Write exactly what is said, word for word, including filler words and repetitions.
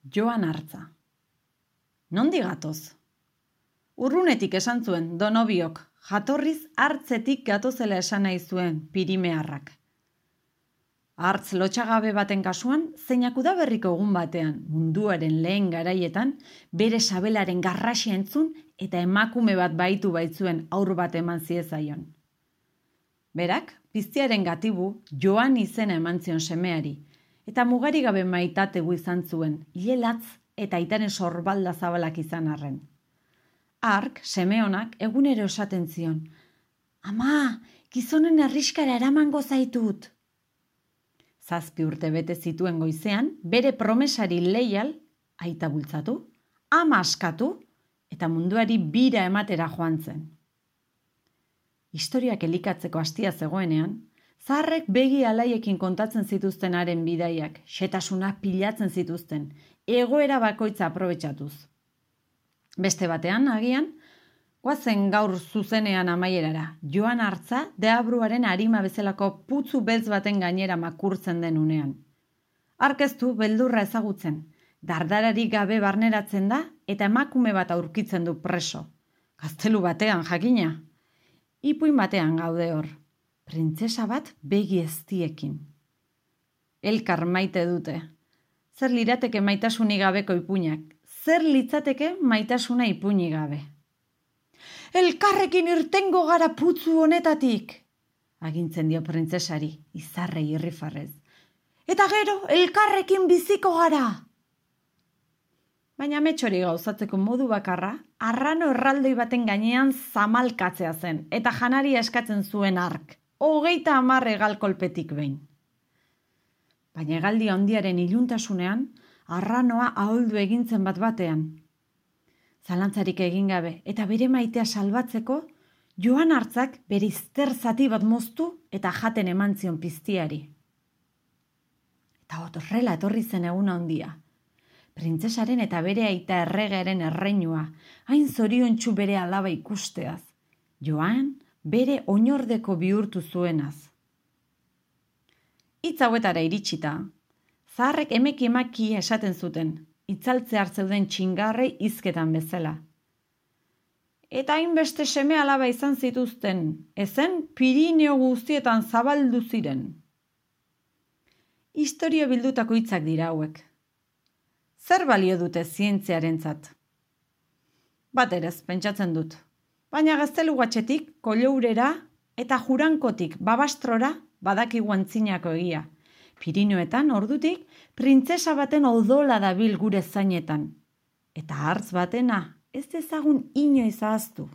Joan Artza. Nondi gatoz? Urrunetik esan zuen Donobiok, jatorriz hartzetik gatozela esan nahi zuen Pirimearrak. Hartz lotxagabe baten kasuan, zeinak udaberriko egun batean, munduaren lehen garaietan, bere sabelaren garrasia entzun eta emakume bat baitu baitzuen aur bat eman ziezaion. Berak, piztiaren gatibu, Joan izena eman zion semeari, eta mugari gabe maitategu izan zuen, hilelatz eta aitaren sorbalda zabalak izan arren. Hark, seme honak, egunero esaten zion, "Ama, gizonen herriskara eramango zaitut." Zazpi urte bete zituen goizean, bere promesari leial, aita bultzatu, ama askatu, eta munduari bira ematera joan zen. Historiak elikatzeko hastia zegoenean, zaharrek begi alaiekin kontatzen zituzten haren bidaiak, xetasunak pilatzen zituzten, egoera bakoitza aprobetxatuz. Beste batean, agian, goazen gaur zuzenean amaierara, Joan Artza deabruaren arima bezalako putzu beltz baten gainera makurtzen den unean. Arkeztu beldurra ezagutzen, dardarari gabe barneratzen da eta emakume bat aurkitzen du preso. Gaztelu batean jakina. Ipuin batean gaude hor, printzesa bat begi eztiekin. Elkar maite dute. Zer lirateke maitasunik gabeko ipuinak? Zer litzateke maitasuna ipuinik gabe? "Elkarrekin irtengo gara putzu honetatik!" agintzen dio printzesari, izarrei irrifarrez. "Eta gero, elkarrekin biziko gara!" Baina metxori gauzatzeko modu bakarra, arrano erraldoi baten gainean zamalkatzea zen, eta janaria eskatzen zuen hark, hogeita hamar hegal kolpetik behin. Baina hegaldi handiaren iluntasunean, arranoa aholdu egintzen bat batean. Zalantzarik egin gabe eta bere maitea salbatzeko, Joan Artzak bere izter zati bat moztu eta jaten eman zion piztiari. Eta horrela etorri zen egun handia. Printzesaren eta bere aita erregearen erreinua, hain zoriontsu bere alaba ikusteaz. Joan bere oinordeko bihurtu zuenaz. Hitz hauetara iritsita, zaharrek emeki emaki esaten zuten, itzaltze hartzeuden txingarrei hizketan bezala. Eta hainbeste seme alaba izan zituzten, ezen Pirineo guztietan zabaldu ziren. Historia bildutako hitzak dira hauek. Zer balio dute zientziarentzat? Bat erez, pentsatzen dut. Baina gaztelu guatxetik, kolourera eta jurankotik babastrora badakigu antzinako egia. Pirinioetan, ordutik, printzesa baten odola dabil gure zainetan. Eta hartz batena, ez dezagun inoiz ahaztu.